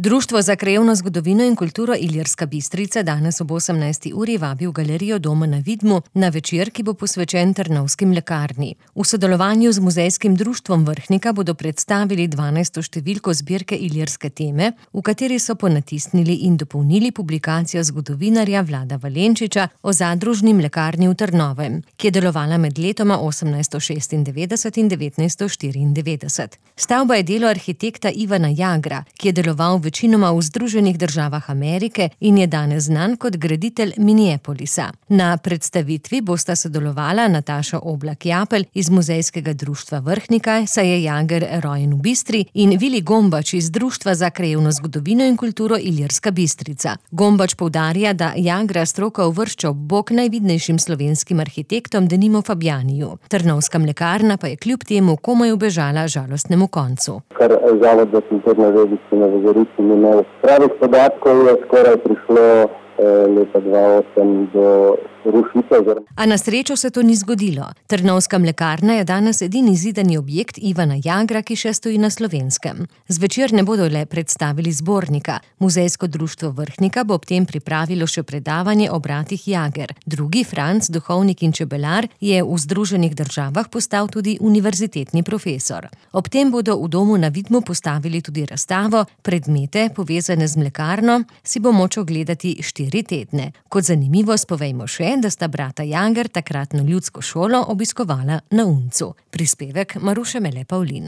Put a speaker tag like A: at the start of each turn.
A: Društvo za krajevno zgodovino in kulturo Ilirska Bistrica danes ob 18. uri vabi v galerijo Doma na Vidmu na večer, ki bo posvečen Trnovski mlekarni. V sodelovanju z Muzejskim društvom Vrhnika bodo predstavili 12. številko zbirke Ilirske teme, v kateri so ponatisnili in dopolnili publikacijo zgodovinarja Vlada Valenčiča o zadružni mlekarni v Trnovem, ki je delovala med letoma 1896 in 1994. Stavba je delo arhitekta Ivana Jagra, ki je deloval večinoma v Združenih državah Amerike in je danes znan kot graditelj Minneapolisa. Na predstavitvi bosta sodelovala Nataša Oblak-Japelj iz Muzejskega društva Vrhnika, saj je Jager rojen v Bistri, in Vili Gombač iz Društva za krajevno zgodovino in kulturo Ilirska Bistrica. Gombač poudarja, da Jagra stroka uvršča ob bok najvidnejšim slovenskim arhitektom, denimo Fabjaniju. Trnovska mlekarna pa je kljub temu komaj ubežala žalostnemu koncu.
B: Kar Zavod za kulturno dediščino v Gorici ni imel pravih podatkov, je skoraj prišlo leta 2008 do rušitev.
A: A na srečo se to ni zgodilo. Trnovska mlekarna je danes edini zidani objekt Ivana Jagra, ki še stoji na Slovenskem. Zvečer ne bodo le predstavili zbornika. Muzejsko društvo Vrhnika bo ob tem pripravilo še predavanje o bratih Jager. Drugi, Franc, duhovnik in čebelar, je v Združenih državah postal tudi univerzitetni profesor. Ob tem bodo v Domu na Vidmu postavili tudi razstavo. Predmete, povezane z mlekarno, si bo moč ogledati 4 tedne. Kot zanimivost povejmo še, da sta brata Jager takratno ljudsko šolo obiskovala na Uncu. Prispevek Maruše Mele Pavlin.